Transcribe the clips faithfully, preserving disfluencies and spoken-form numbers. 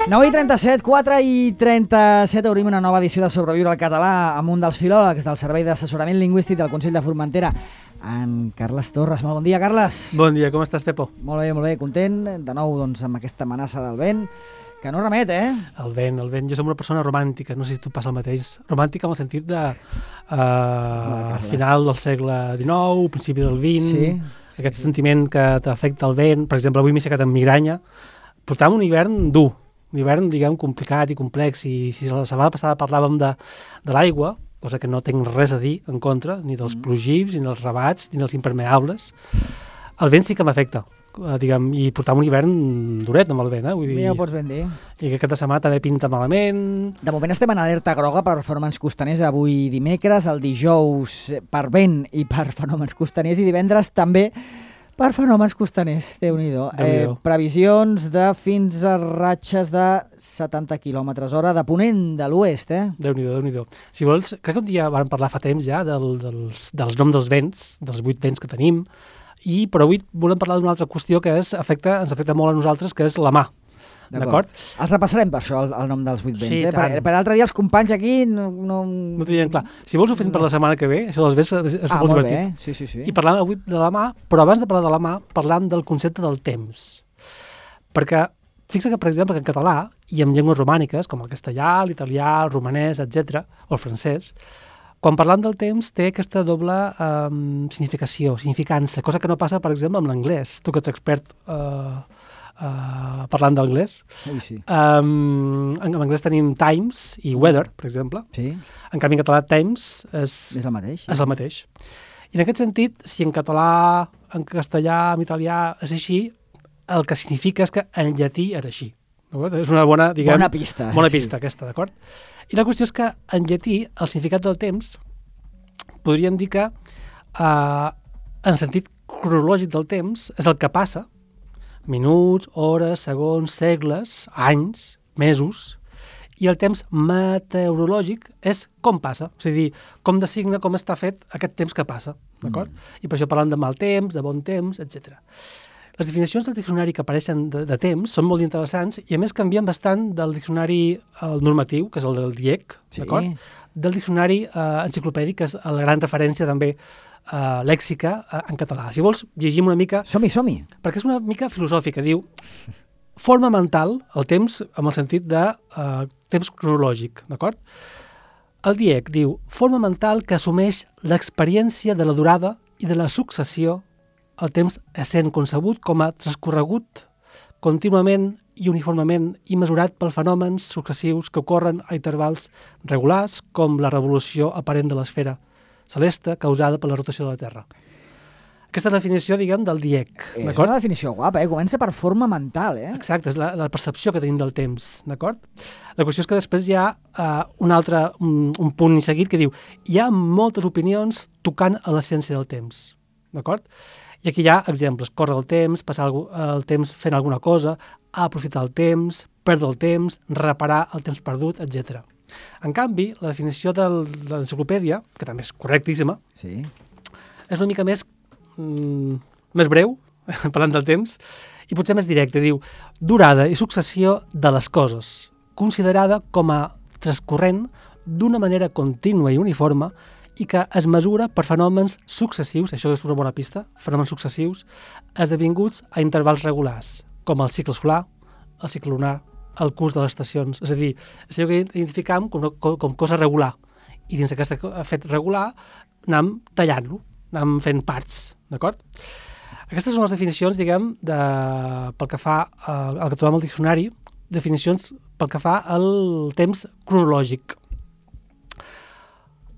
nou i trenta-set, quatre i trenta-set, obrim una nova edició de Sobreviure al català amb un dels filòlegs del Servei d'Assessorament Lingüístic del Consell de Formentera, en Carles Torres. Molt bon dia, Carles. Bon dia, com estàs, Pepo? Molt bé, molt bé, content, de nou doncs, amb aquesta amenaça del vent, que no remet, eh? El vent, el vent. Jo som una persona romàntica, no sé si tu passa el mateix. Romàntica en el sentit de uh, final del segle dinou, principi del vint, sí. Aquest sentiment que t'afecta el vent. Per exemple, avui m'he aixecat amb migranya. Portàvem un hivern dur, un hivern, diguem, complicat i complex, i si la setmana passada parlàvem de, de l'aigua, cosa que no tinc res a dir en contra, ni dels plogibs, ni dels rabats, ni dels impermeables, el vent sí que m'afecta, diguem, i portàvem un hivern duret amb el vent, eh? Vull dir, ja ho pots ben dir. I que aquesta setmana també pinta malament. De moment estem en alerta groga per fenòmens costaners avui dimecres, el dijous per vent i per fenòmens costaners, i divendres també per fenòmens costaners, Déu-n'hi-do. Eh, previsions de fins a ratxes de setanta quilòmetres hora de ponent de l'oest, eh? Déu-n'hi-do, Déu-n'hi-do. Si vols, crec que un dia vam parlar fa temps ja del, dels, dels noms dels vents, dels vuit vents que tenim, i però avui volem parlar d'una altra qüestió que és, afecta, ens afecta molt a nosaltres, que és la mà. D'acord? Els repassarem per això, el, el nom dels vuit vents. Sí, eh? Per, per l'altre dia els companys aquí no... No, no tenien clar. Si vols ho fem per la setmana que ve, això dels vents és, és ah, molt molt divertit. Bé. Sí, sí, sí. I parlàvem avui de la mà, però abans de parlar de la mà, parlàvem del concepte del temps. Perquè fixa que, per exemple, que en català i en llengües romàniques, com el castellà, l'italià, el romanès, etcètera, o el francès, quan parlant del temps té aquesta doble um, significació, significança, cosa que no passa, per exemple, amb l'anglès. Tu que ets expert uh, uh, parlant d'anglès. Ui, sí. Um, en, en anglès tenim times i weather, per exemple. Sí. En canvi, en català times és, és el mateix. És el mateix. I en aquest sentit, si en català, en castellà, en italià és així, el que significa és que en llatí era així. És una bona, diguem, bona pista. Bona pista, sí. Aquesta, d'acord? I la qüestió és que en llatí el significat del temps podríem dir que eh, en sentit cronològic del temps és el que passa, minuts, hores, segons, segles, anys, mesos, i el temps meteorològic és com passa, és a dir, com designa, com està fet aquest temps que passa, d'acord? Mm. I per això parlant de mal temps, de bon temps, etcètera. Les definicions del diccionari que apareixen de, de temps són molt interessants i a més canvien bastant del diccionari el normatiu, que és el del D I E C, sí. D'acord? Del diccionari eh, enciclopèdic, que és la gran referència també eh, lèxica eh, en català. Si vols, llegim una mica... Som-hi, som-hi. Perquè és una mica filosòfica. Diu, forma mental, el temps amb el sentit de eh, temps cronològic, d'acord? El D I E C diu, forma mental que assumeix l'experiència de la durada i de la successió, el temps essent concebut com a transcorregut contínuament i uniformement i mesurat pels fenòmens successius que ocorren a intervals regulars, com la revolució aparent de l'esfera celeste causada per la rotació de la Terra. Aquesta definició, diguem, del D I E C. És una definició guapa, eh? Comença per forma mental, eh? Exacte, és la, la percepció que tenim del temps, d'acord? La qüestió és que després hi ha uh, un altre, un, un punt seguit que diu hi ha moltes opinions tocant a l'essència del temps, d'acord? I aquí hi ha exemples, córrer el temps, passar el temps fent alguna cosa, aprofitar el temps, perdre el temps, reparar el temps perdut, etcètera. En canvi, la definició del, de l'enciclopèdia, que també és correctíssima, sí. És una mica més, mm, més breu, parlant del temps, i potser més directe. Diu, durada i successió de les coses, considerada com a transcorrent d'una manera contínua i uniforme i que es mesura per fenòmens successius, això és una bona pista, fenòmens successius, esdevinguts a intervals regulars, com el cicle solar, el cicle lunar, el curs de les estacions. És a dir, és allò que identificam com, com, com cosa regular. I dins d'aquest fet regular anem tallant-lo, anem fent parts, d'acord? Aquestes són les definicions, diguem, de, pel que fa al, al que trobem al diccionari, definicions pel que fa al temps cronològic.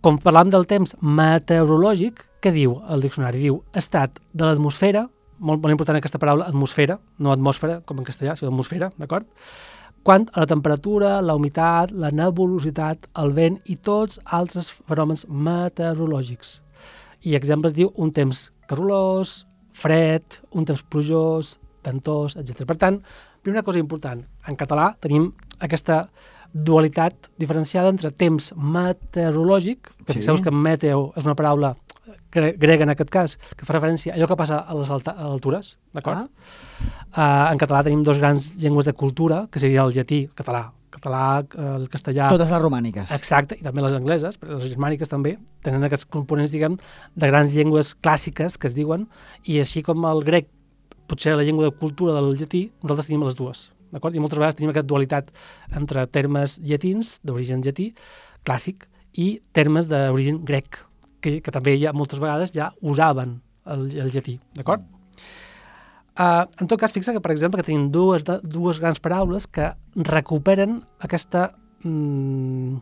Com parlam del temps meteorològic, què diu el diccionari? Diu estat de l'atmosfera, molt, molt important aquesta paraula, atmosfera, no atmosfera, com en castellà, sinó atmosfera, d'acord? quant a la temperatura, la humitat, la nebulositat, el vent i tots altres fenòmens meteorològics. I exemples diu un temps calorós, fred, un temps plujós, ventós, etcètera. Per tant, primera cosa important, en català tenim aquesta dualitat diferenciada entre temps meteorològic, que sí. Fixeu que meteo és una paraula grega en aquest cas, que fa referència a allò que passa a les alta, a altures, d'acord? Ah. Uh, en català tenim dos grans llengües de cultura, que seria el llatí, el català, català, el castellà... Totes les romàniques. Exacte, i també les angleses, però les germàniques també, tenen aquests components, diguem, de grans llengües clàssiques, que es diuen, i així com el grec, potser la llengua de cultura del llatí, nosaltres tenim les dues, d'acord? I moltes vegades tenim aquesta dualitat entre termes llatins, d'origen llatí, clàssic, i termes d'origen grec, que, que també ja moltes vegades ja usaven el, el llatí, d'acord? Uh, en tot cas, fixa que, per exemple, que tenim dues, de, dues grans paraules que recuperen aquesta mm,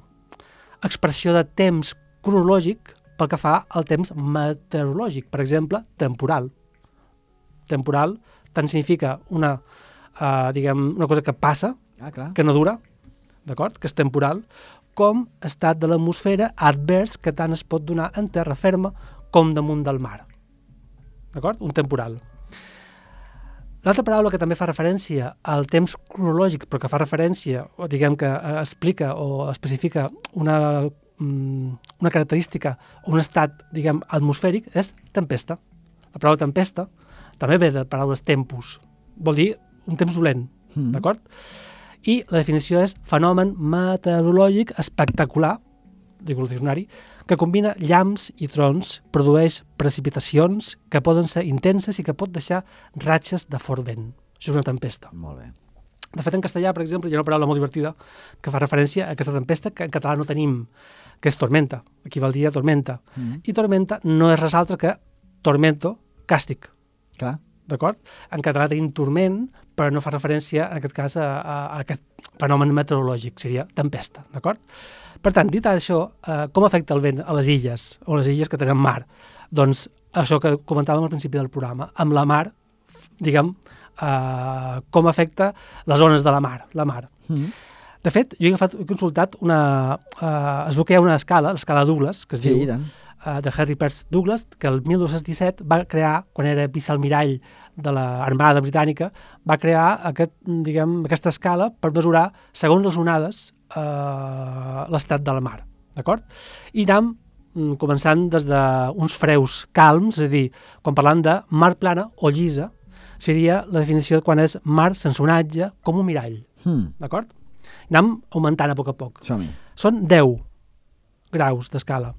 expressió de temps cronològic pel que fa al temps meteorològic. Per exemple, temporal. Temporal tant significa una, uh, diguem, una cosa que passa, ah, clar. que no dura, d'acord? Que és temporal, com estat de l'atmosfera advers que tant es pot donar en terra ferma com damunt del mar. D'acord? Un temporal. L'altra paraula que també fa referència al temps cronològic, però que fa referència, o diguem que explica o especifica una, una característica o un estat, diguem, atmosfèric, és tempesta. La paraula tempesta també ve de paraules tempus. Vol dir un temps dolent, mm. d'acord? I la definició és fenomen meteorològic espectacular, diu el diccionari, que combina llamps i trons, produeix precipitacions que poden ser intenses i que pot deixar ratxes de fort vent. Això és una tempesta. Molt bé. De fet, en castellà, per exemple, hi ha una paraula molt divertida que fa referència a aquesta tempesta que en català no tenim, que és tormenta, equivaldria a tormenta. Mm. I tormenta no és res altre que tormento, càstig. Clar. D'acord? En català tenim turment, però no fa referència, en aquest cas, a, a, a aquest fenomen meteorològic, seria tempesta, d'acord? Per tant, dit això, eh, com afecta el vent a les illes, o les illes que tenen mar? Doncs això que comentàvem al principi del programa, amb la mar, diguem, eh, com afecta les ones de la mar, la mar. Mm. De fet, jo he, agafat, he consultat una... Eh, es veu que hi ha una escala, l'escala Douglas, que es sí, diu... tant. de Harry Peirce Douglas, que el mil dos-cents disset va crear, quan era vicealmirall de l'Armada Britànica, va crear aquest, diguem, aquesta escala per mesurar, segons les onades, eh, l'estat de la mar. D'acord? I anem començant des d'uns freus calms, és a dir, quan parlant de mar plana o llisa, seria la definició de quan és mar sense onatge, com un mirall. Hmm. D'acord? Anem augmentant a poc a poc. Som-hi. Són deu graus d'escala.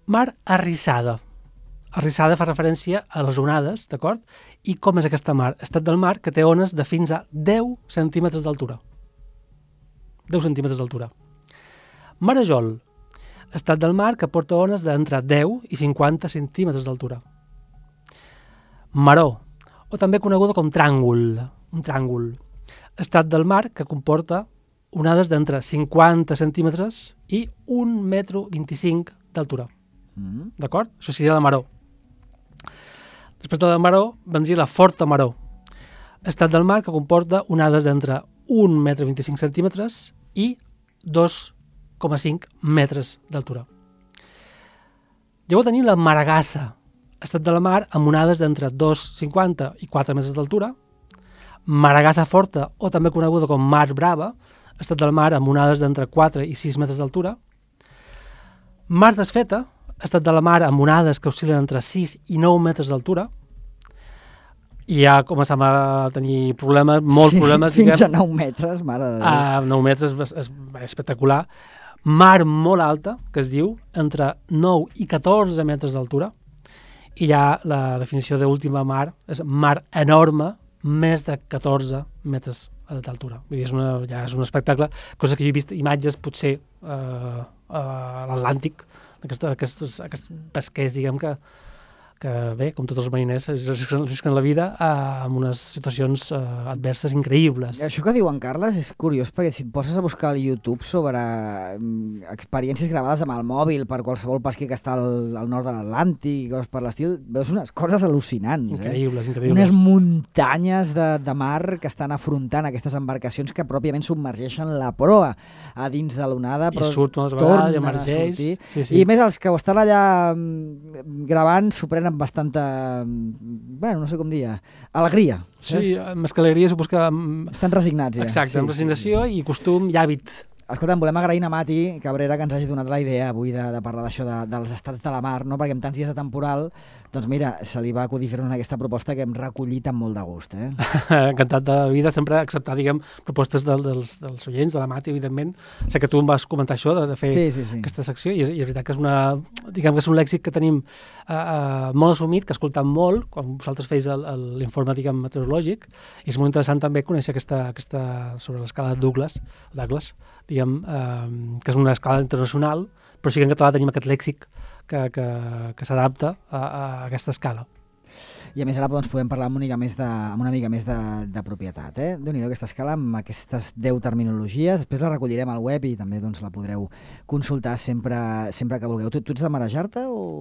Mar arrissada. Arrissada fa referència a les onades, d'acord? I com és aquesta mar? Estat del mar que té ones de fins a deu centímetres d'altura. deu centímetres d'altura. Marejol. Estat del mar que porta ones d'entre deu i cinquanta centímetres d'altura. Maró, o també coneguda com tràngol. Un tràngol. Estat del mar que comporta onades d'entre cinquanta centímetres i un metre vint-i-cinc d'altura. Mm. D'acord? Això seria la maró. Després de la maró vendria la forta maró. Estat del mar que comporta onades d'entre un metre vint-i-cinc centímetres i dos coma cinc metres d'altura. Llavors tenim la maragassa. Estat de la mar amb onades d'entre dos coma cinquanta i quatre metres d'altura. Maragassa forta, o també coneguda com mar brava. Estat del mar amb onades d'entre quatre i sis metres d'altura. Mar desfeta. Estat de la mar amb onades que oscil·len entre sis i nou metres d'altura. I ja comencem a tenir problemes, molts problemes. Fins diguem. a nou metres, mare de Déu. A nou metres és, és, és espectacular. Mar molt alta, que es diu, entre nou i catorze metres d'altura. I ja la definició d'última mar és mar enorme, més de catorze metres d'altura. Vull dir, és una, ja és un espectacle, cosa que jo he vist imatges potser eh, a l'Atlàntic, Aquest, aquests, aquests pesquers, diguem, que, que bé, com tots els mariners, risquen, risquen la vida eh, en unes situacions eh, adverses increïbles. Això que diuen, Carles, és curiós, perquè si et poses a buscar al YouTube sobre um, experiències gravades amb el mòbil per qualsevol pesquer que està al, al nord de l'Atlàntic i coses per l'estil, veus unes coses al·lucinants. Increïbles, eh? increïbles. Unes muntanyes de, de mar que estan afrontant aquestes embarcacions que pròpiament submergeixen la proa a dins de l'onada, però I surt unes vegades i emergeix. Sí, sí. I més, els que ho estan allà gravant s'ho prenen amb bastanta, bueno, no sé com dir, alegria. Sí, més que alegria suposo que... Estan resignats, ja. Exacte, sí, amb resignació sí. I costum i hàbit. Escolta'm, volem agrair a Mati Cabrera que ens hagi donat la idea avui de, de parlar d'això, de, dels estats de la mar, no? Perquè amb tants dies de temporal, doncs mira, se li va acudir fer-nos aquesta proposta que hem recollit amb molt de gust. Eh? Encantat de vida, sempre acceptar, diguem, propostes del, dels, dels oients, de la Mati, evidentment. Sé que tu em vas comentar això, de, de fer sí, sí, sí. aquesta secció, i és, i és veritat que és una, diguem que és un lèxic que tenim uh, uh, molt assumit, que escoltam molt, quan vosaltres feis l'informe, diguem, meteorològic, i és molt interessant també conèixer aquesta, aquesta sobre l'escala de Douglas, Douglas diguem, eh, que és una escala internacional, però sí que en català tenim aquest lèxic que, que, que s'adapta a, a aquesta escala. I a més ara doncs, podem parlar amb una mica més de, amb una mica més de, de propietat. Eh? Déu-n'hi-do aquesta escala amb aquestes deu terminologies. Després la recollirem al web i també doncs, la podreu consultar sempre, sempre que vulgueu. Tu, tu ets de marejar-te o...?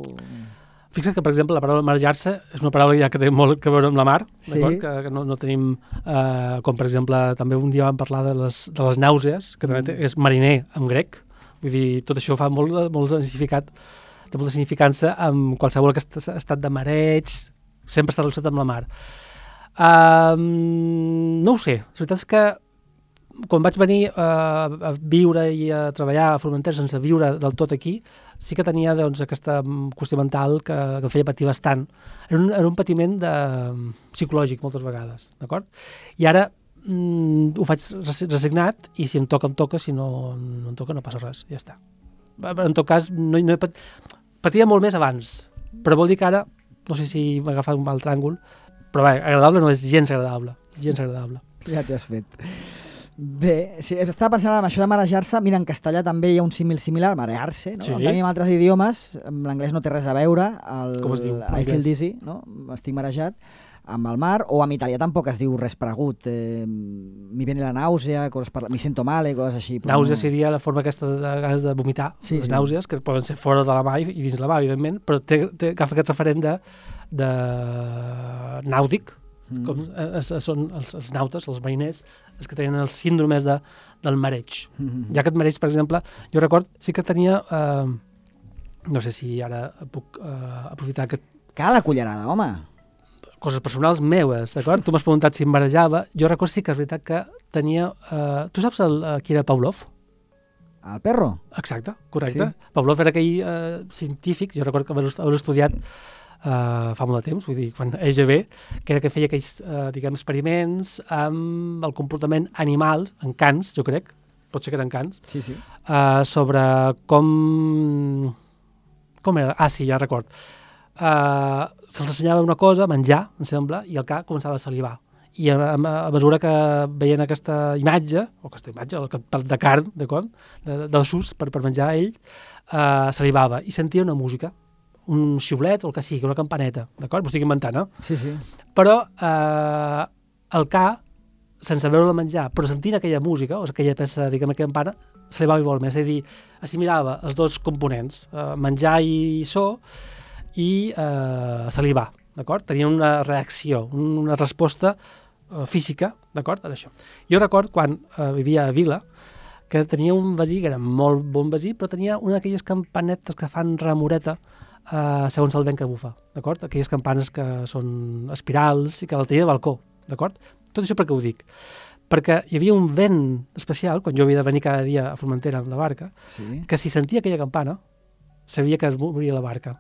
Fixa't que, per exemple, la paraula marejar-se és una paraula ja que té molt a veure amb la mar, sí. D'acord? Que, que no, no tenim, eh, com per exemple, també un dia vam parlar de les, de les nàusees, que també té, és mariner en grec, vull dir, tot això fa molt, molt significat, té molta significança amb qualsevol aquest estat de mareig, sempre està relacionat amb la mar. Um, no ho sé, la veritat és que quan vaig venir uh, a viure i a treballar a Formentera sense viure del tot aquí, sí que tenia doncs, aquesta qüestió mental que, que em feia patir bastant. Era un, era un patiment de, psicològic moltes vegades, d'acord? I ara mm, ho faig resignat i si em toca, em toca, si no, no em toca no passa res, ja està. En tot cas, no, no he pat... patia molt més abans, però vol dir que ara, no sé si m'ha agafat un mal tràngol, però bé, agradable no és gens agradable, gens agradable. Ja t'hi has fet. Bé, sí, estava pensant en això de marejar-se. Mira, en castellà també hi ha un símil similar, marear-se, no? Sí. En canvi, en altres idiomes, l'anglès no té res a veure, el, com es diu? I feel dizzy, no? Estic marejat, amb el mar, o en italià tampoc es diu res pregut, eh, mi viene la náusea, coses per... mi sento male, coses així. Nàusea no... seria la forma aquesta de, de, de vomitar, sí, les sí. nàusees, que poden ser fora de la mà i dins la mà, evidentment, però té, té, agafa aquest referent de, de nàutic, mm. com es, es, són els, els nautes, els mariners, els que tenen els síndromes de, del mareig. Mm-hmm. Ja aquest mareig, per exemple, jo record, sí que tenia, eh, no sé si ara puc eh, aprofitar aquest... Cal la cullerada, home! Coses personals meues, d'acord? Tu m'has preguntat si em marejava. Jo record sí que és veritat que tenia... Eh, tu saps el, eh, qui era Pavlov? El perro? Exacte, correcte. Sí. Pavlov era aquell eh, científic, jo record que haver estudiat Uh, fa molt de temps, vull dir, quan E G B, que era que feia aquells, uh, diguem, experiments amb el comportament animal, en cans, jo crec, pot ser que eren cans, sí, sí. Uh, sobre com... Com era? Ah, sí, ja record. Uh, se'ls ensenyava una cosa, menjar, em sembla, i el ca començava a salivar. I a, a, a mesura que veien aquesta imatge, o aquesta imatge, el de carn, d'acord, d'ossos per, per menjar ell, uh, salivava i sentia una música, un xiulet o el que sigui, una campaneta, d'acord? M'ho estic inventant, eh? Sí, sí. Però eh, el ca, sense veure-la menjar, però sentint aquella música, o aquella peça, diguem, aquella campana, se li va molt més, és a dir, assimilava els dos components, eh, menjar i so, i eh, salivar, d'acord? Tenia una reacció, una resposta eh, física, d'acord? En això. Jo record, quan eh, vivia a Vila, que tenia un veí, que era molt bon veí, però tenia una d'aquelles campanetes que fan remoreta, Uh, segons el vent que bufa, d'acord? Aquelles campanes que són espirals i que la tenia de balcó, d'acord? Tot això per què ho dic? Perquè hi havia un vent especial, quan jo havia de venir cada dia a Formentera amb la barca, sí. Que si sentia aquella campana, sabia que es moria la barca.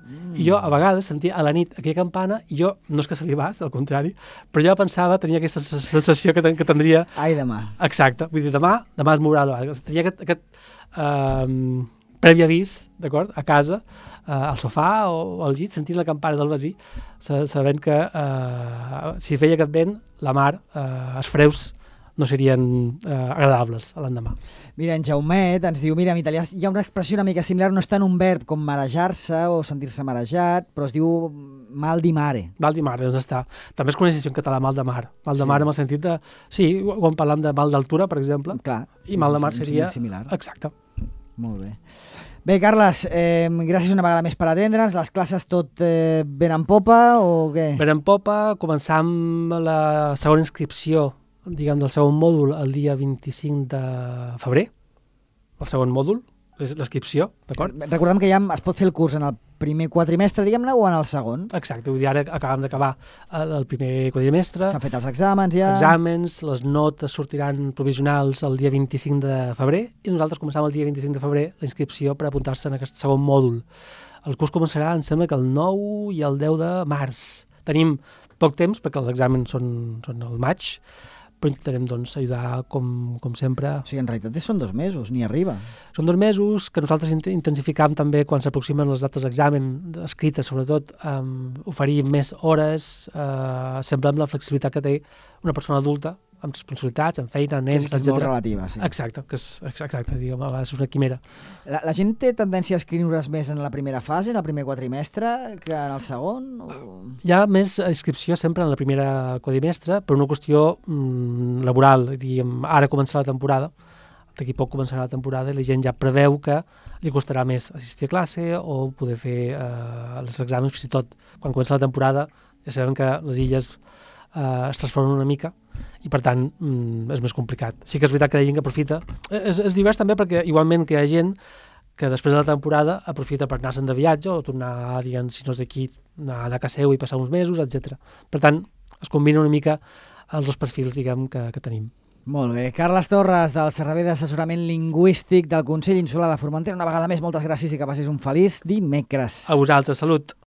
Mm. I jo a vegades sentia a la nit aquella campana i jo, no és que salivàs, al contrari, però jo pensava, tenia aquesta sensació que, ten, que tindria... Ai, demà. Exacte, vull dir, demà, demà es mourà la barca. Tenia aquest... aquest uh, previ avís, d'acord, a casa, eh, al sofà o al llit, sentint la campana del veí, sabent que eh, si feia aquest vent, la mar, eh, els freus no serien eh, agradables a l'endemà. Mira, en Jaumet ens diu, mira, en italià hi ha una expressió una mica similar, no és tant un verb com marejar-se o sentir-se marejat, però es diu mal di mare. Mal di mare, doncs està. També es coneix en català mal de mar. Mal de Sí. mar en el sentit de... Sí, quan parlam de mal d'altura, per exemple, Clar. i mal de mar un seria... similar. Exacte. Molt bé. Bé, Carles, eh, gràcies una vegada més per atendre'ns. Les classes tot eh, ben en popa o què? Ben en popa, començam la segona inscripció, diguem, del segon mòdul el dia vint-i-cinc de febrer. El segon mòdul, és l'inscripció, d'acord? Recordem que ja es pot fer el curs en el primer quadrimestre, diguem-ne, o en el segon. Exacte, vull dir, ara acabem d'acabar el, el primer quadrimestre. S'han fet els exàmens ja. Exàmens, les notes sortiran provisionals el dia vint-i-cinc de febrer i nosaltres començam el dia vint-i-cinc de febrer la inscripció per apuntar-se en aquest segon mòdul. El curs començarà, em sembla que el nou i el deu de març. Tenim poc temps perquè els exàmens són, són al maig, però intentarem doncs, ajudar com, com sempre. O sigui, en realitat són dos mesos, ni arriba. Són dos mesos que nosaltres intensificam també quan s'aproximen les dates d'examen, escrites sobretot, um, oferir més hores, uh, sempre amb la flexibilitat que té una persona adulta, amb responsabilitats, amb feina, nens, etcètera. És, és molt relativa, sí. Exacte, que és, exacte, diguem, a vegades és una quimera. La, la gent té tendència a escriure's més en la primera fase, en el primer quadrimestre, que en el segon? O... Hi ha més inscripció sempre en la primera quadrimestre, per una qüestió mm, laboral. Diguem, ara comença la temporada, d'aquí poc començarà la temporada i la gent ja preveu que li costarà més assistir a classe o poder fer eh, els exàmens, fins i tot quan comença la temporada ja sabem que les illes eh, es transformen una mica i per tant mm, és més complicat. Sí que és veritat que hi ha gent que aprofita. És, és divers també perquè igualment que hi ha gent que després de la temporada aprofita per anar-se'n de viatge o tornar, diguem, si no és d'aquí, anar a casa seu i passar uns mesos, etcètera. Per tant, es combina una mica els dos perfils, diguem, que, que tenim. Molt bé. Carles Torres, del Servei d'Assessorament Lingüístic del Consell Insular de Formentera. Una vegada més, moltes gràcies i que passis un feliç dimecres. A vosaltres, salut!